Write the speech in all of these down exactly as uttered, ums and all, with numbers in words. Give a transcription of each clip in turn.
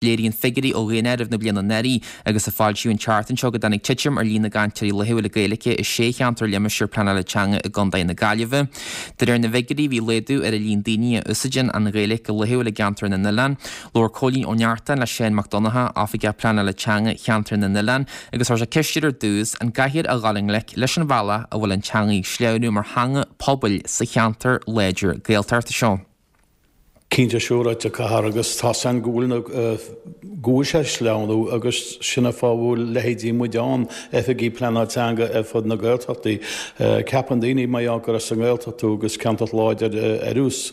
Léiríonn figiúirí ó Dhaonáireamh na bliana anuraidh agus a foilsíodh an tseachtain seo go dtáinig titim ar líon na gcainteoirí laethúla Gaeilge i sé cheantar limistéar pleanála teanga i gContae na Gaillimhe. De réir na bhfigiúirí bhí laghdú ar an líon daoine a úsáideann an Ghaeilge go laethúil i gceantar na nOileán. Labhair Cóilín Ó Neachtain le Seán Mac Donncha, Oifigeach Pleanála Teanga Cheantar na nOileán, agus chuir sé ceist air ar dtús an gcaithfear a dhul i ngleic leis an bhealach a bhfuil an teanga ag sleamhnú mar theanga pobail sa cheantar láidir Gaeltachta seo. Cinnte siúráilte caithfear agus tá san go bhfuil na go bhfuil sé ag sleamhnú agus sin an fáth a bhfuil leithéidí muid ann, oifigigh pleanáil teanga ar fud na Gaeltachtaí. Ceapann daoine mar gheall gur as an nGaeltacht tú agus ceantar láidir ar nós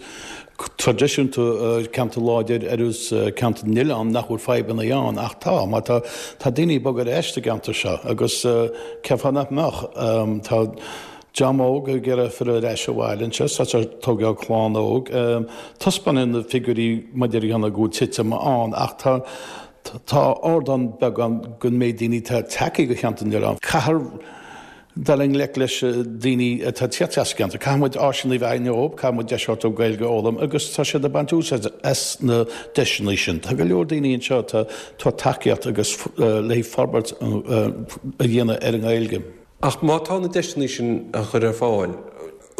traidisiúnta ceantar láidir ar nós ceantar na nOileán nach bhfuil fadhbanna ann ach tá mar tá tá daoine ag bogadh ar ais sa gceantar seo agus cén fáth nach mbeadh tá Dream óg ag iarraidh filleadh ar ais abhaile anseo, tá siad ag tógáil clann óg. Taispeánann na figiúirí maidir le go bhfuil titim ann ach tá tá ardán beag ann don méid daoine atá tagtha go Cheantar na nOileán. Caithfear dul i ngleic leis daoine atá ag tíocht as an gceantar. Caithfidh muid áiseanna a bheith dóibh, caithfidh muid deis a thabhairt dóibh Gaeilge a fhoghlaim agus tá siad ag baint úsáid as na deiseanna sin. Tá go leor daoine anseo atá ag tacaíocht agus le forbairt a dhéanamh ar an nGaeilge. Ach má tá na deiseanna sin á chur ar fáil,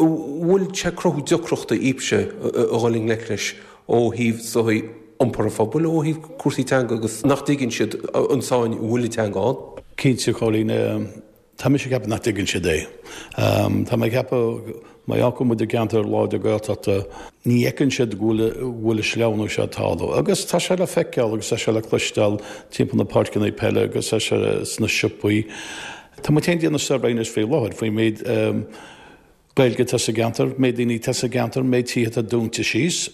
an bhfuil sé ag cruthú deacrachta daoibhse a dhul i ngleic leis ó thaobh sochaí iompar an phobail, ó thaobh cúrsaí teanga agus nach dtuigeann siad an tsáinn a bhfuil an teanga ann? Cinnte, Cóilín. Tá mise ag ceapadh nach dtuigeann siad é. Tá mé ag ceapadh Mar gheall go bhfuil muid i gceantar láidir Gaeltachta, ní fheiceann siad go bhfuil an sleamhnú seo ag tarlú. Agus tá sé le feiceáil agus tá sé le cloisteáil timpeall na páirceanna peile agus tá sé sna siopaí. Tá muid féin ag déanamh suirbhé anois faoi láthair faoin méid Gaeilge atá sa gceantar, méid daoine atá sa gceantar, méid tithe atá dúnta síos.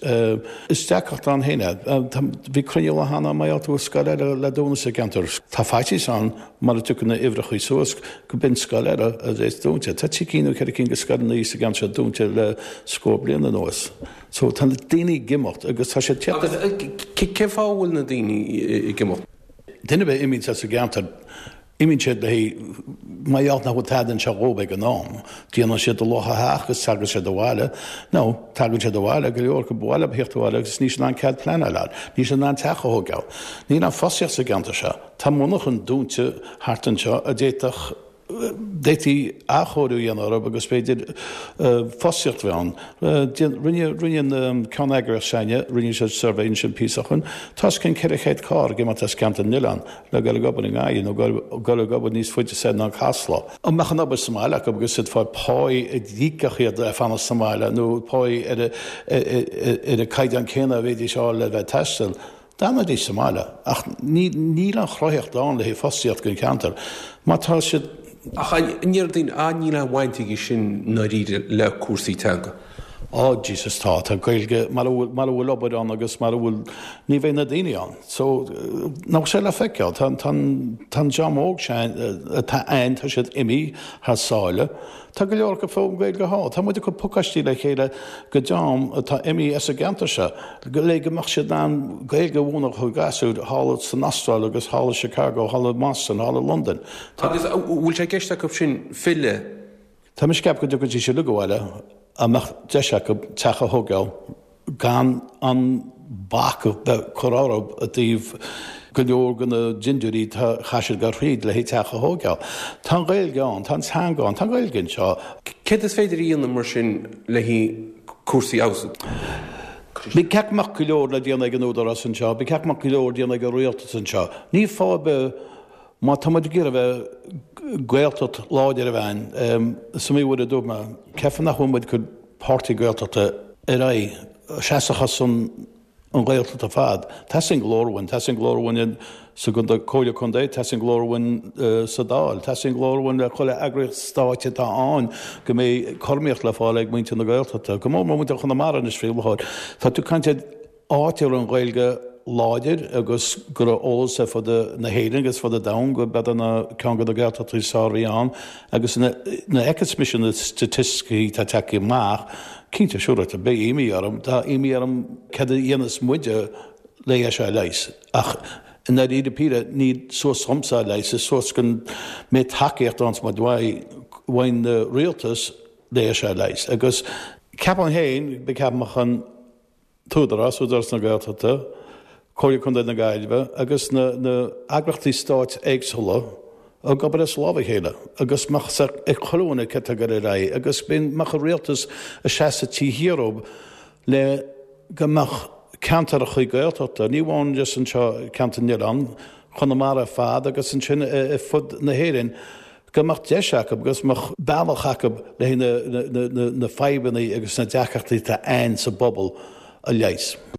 Is deacracht ann féin é. Bhí cruinniú lá cheana mar gheall go bhfuil scoil eile le dúnadh sa gceantar. Tá faitíos ann mara dtiocfaidh na uimhreacha suas go b'in scoil eile a bheas dúnta. Tá trí cinn nó ceithre cinn de scoileanna sa gceantar seo dúnta le scór bliain anuas. So tá na daoine ag imeacht agus tá siad ag tíocht. Agus cén fáth a bhfuil na daoine ag imeacht? Duine ar bith a imíonn as an gceantar, imíonn siad le mar gheall nach bhfuil tada anseo dhóibh ag an am. Déanann siad a luach a theach agus tagann siad abhaile. Nó tagann siad abhaile, go leor acu ba mhaith leo theacht abhaile agus níl siad in ann cead pleanála a fháil. Níl siad in ann teach a thógáil. Níl aon fostaíocht sa gceantar seo. Tá monarchan dúnta thart anseo a d'fhéadfadh d'fhéadfaí athchóiriú a dhéanamh orthu agus b'fhéidir fostaíocht a bheith ann. Rinne rinne an ceanneagraíocht s'againne, rinne siad suirbhé ansin píosa ó shin. Tá os cionn ceithre chéad carr ag imeacht as Ceantar na nOileán le dul ag obair i nGaillimh nó dul ag obair níos faide soir ná Casla. Dá mbeadh an obair sa mbaile acu agus iad ag fáil páí a d'íocfadh iad le fanacht sa mbaile nó páí ar ar an caighdeán céanna a bhéidís a fháil le bheith ag taisteal, D'fhanfaidís sa mbaile, ach níl an chruthaitheacht ann le haghaidh fostaíocht don cheantar. Má tá siad. Ach an ndeir daoine, ah níl aon bhaint aige sin i ndáiríre le cúrsaí teanga? Á Jesus tá, tá Gaeilge, mara bhfuil, mara bhfuil obair ann agus mara bhfuil, ní bheidh na daoine ann. So, nach bhfuil sé le feiceáil, tá, tá, tá an dream óg sin atá ann, tá siad imithe thar sáile. Tá go leor acu ag foghlaim Gaeilge thall. Tá muid ag cur pacáistí le chéile do dream atá imithe as an gceantar seo le go mbeadh siad in ann Gaeilge a mhúineadh do ghasúir thall san Astráil agus thall i Chicago, thall i mBoston, thall i Londain. Tá. Agus an bhfuil sé i gceist acu sin filleadh? Tá mise ag ceapadh go dtiocfaidís uilig abhaile dá mbeadh deis acu teach a thógáil. gan an bac a bheith curtha orthu i dtaobh go leor de na dintiúirí atá chaith siad dul thríd le teach a thógáil. Tá an Ghaeilge ann, tá an teanga ann, tá an Ghaeilge anseo. Céard is féidir a dhéanamh mar sin le cúrsaí a fheabhsú? Ba cheart go mbeadh go leor le déanamh ag an Údarás anseo, ba cheart go mbeadh go leor déanamh ag an Rialtas anseo. Ní fáth ar bith má tá muid ag iarraidh a bheith Gaeltacht láidir a bheith ann, is iomaí uair a dúirt mé, cén fáth nach bhfuil muid ag cur páirtí Gaeltachta ar aghaidh, seasamh ar son an Ghaeltacht ar fad. Teastaíonn glór uainn, teastaíonn glór uainn sa Comhairle Contae, teastaíonn glór uainn sa Dáil, teastaíonn glór uainn le chuile eagraíocht stáit atá ann go mbeidh cothromaíocht le fáil ag muintir na Gaeltachta, go mór mór muintir Chonamara anois faoi láthair. Tá tú ag caint ar áit a raibh an Ghaeilge láidir agus go raibh eolas ar fud na hÉireann agus fud an domhain go b'iad ná ceann de na Gaeltachtaí is fearr a bhí ann agus nuair a fheiceas mise na staitisticí atá tagtha amach, cinnte, siúráilte, beidh imní orm, tá imní orm céard a dhéanfas muide le é seo a leigheas ach i ndáiríre píre ní suas dhomsa a leigheas, is suas go mbeidh tacaíocht ann uaidh an rialtas le é seo a leigheas agus ceapaim féin, ceapaim an tÚdarás, Údarás na Gaeltachta, Comhairle Contae na Gaillimhe agus na heagraíochtaí stáit éagsúla ag obair as lámh a chéile agus mbeadh ag chuile dhuine cad tá ag dul ar aghaidh agus mbeadh an rialtas ag seasamh taobh thiar dóibh le go mbeadh ceantracha Gaeltachta, ní amháin just anseo ceantar na nOileán, Chonamara ar fad agus ansin ar fud na hÉireann, go mbeadh deis acu agus mbeadh bealach acu le na fadhbanna agus na deacrachtaí atá ann sa bpobal a leigheas.